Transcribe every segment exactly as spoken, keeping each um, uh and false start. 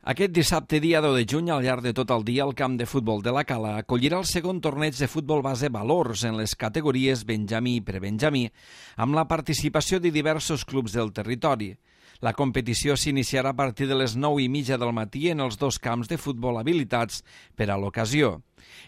Aquest dissabte, dia deu de juny, al llarg de tot el dia, el camp de futbol de la Cala acollirà el segon torneig de futbol base Valors en les categories Benjamí i Prebenjamí, amb la participació de diversos clubs del territori. La competició s'iniciarà a partir de les nou i mitja del matí en els dos camps de futbol habilitats per a l'ocasió.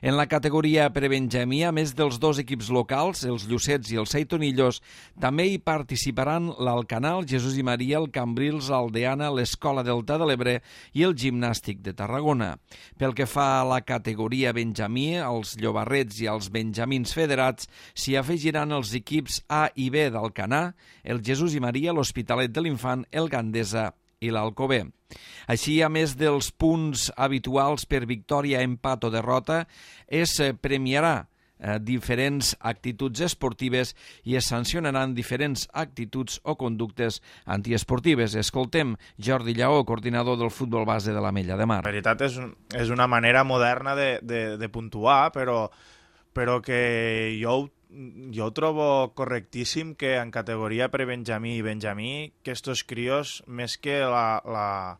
En la categoria Prebenjamí, a més dels dos equips locals, els Llucets i els Seitonillos, també hi participaran l'Alcanal, Jesús i Maria, el Cambrils, l'Aldeana, l'Escola Delta de l'Ebre i el Gimnàstic de Tarragona. Pel que fa a la categoria Benjamí, als Llobarrets i als Benjamins federats s'hi afegiran els equips A i B d'Alcanar, el Jesús i Maria, l'Hospitalet de l'Infant, el Gandesa i l'Alcover. Així, a més dels punts habituals per victòria, empat o derrota, es premiarà eh, diferents actituds esportives i es sancionaran diferents actituds o conductes antiesportives. Escoltem Jordi Lleó, coordinador del futbol base de l'Ametlla de Mar. En veritat és, és una manera moderna de, de, de puntuar, però, però que jo ho Jo ho trobo correctíssim que en categoria prebenjamí i benjamí que estos crios, més que la, la,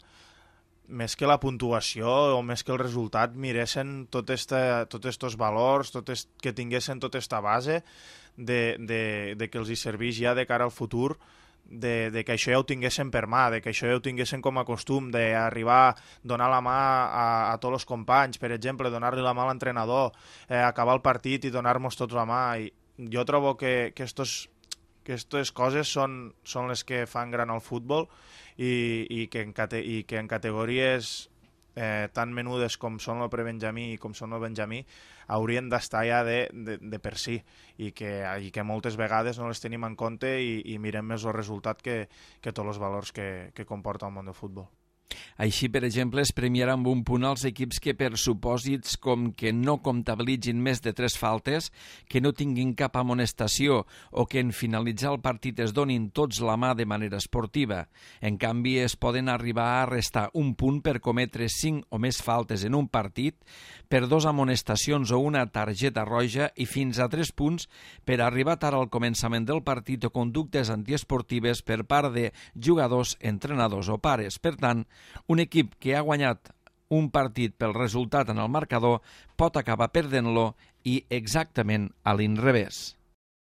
més que la puntuació o més que el resultat, miressin tot este, tots estos valors, tot est, que tinguessin tota esta base de, de, de que els hi serveix ja de cara al futur, de, de que això ja ho tinguessin per mà, de que això ja ho tinguessin com a costum, d'arribar, donar la mà a, a tots els companys, per exemple, donar-li la mà a l'entrenador, eh, acabar el partit i donar-nos tots la mà. I jo trobo que, que, estos, que estos coses són, són les que fan gran el futbol i, i, que, en cate, i que en categories eh, tan menudes com són el prebenjamí i com són el benjamí haurien d'estar ja de, de, de per si i que, i que moltes vegades no les tenim en compte i, i mirem més el resultat que, que tots els valors que, que comporta el món del futbol. Així, per exemple, es premiarà amb un punt als equips que per supòsits com que no comptabilitzin més de tres faltes, que no tinguin cap amonestació o que en finalitzar el partit es donin tots la mà de manera esportiva. En canvi, es poden arribar a restar un punt per cometre cinc o més faltes en un partit, per dos amonestacions o una targeta roja i fins a tres punts per arribar tard al començament del partit o conductes antiesportives per part de jugadors, entrenadors o pares. Per tant, un equip que ha guanyat un partit pel resultat en el marcador pot acabar perdent-lo i exactament a l'inrevés.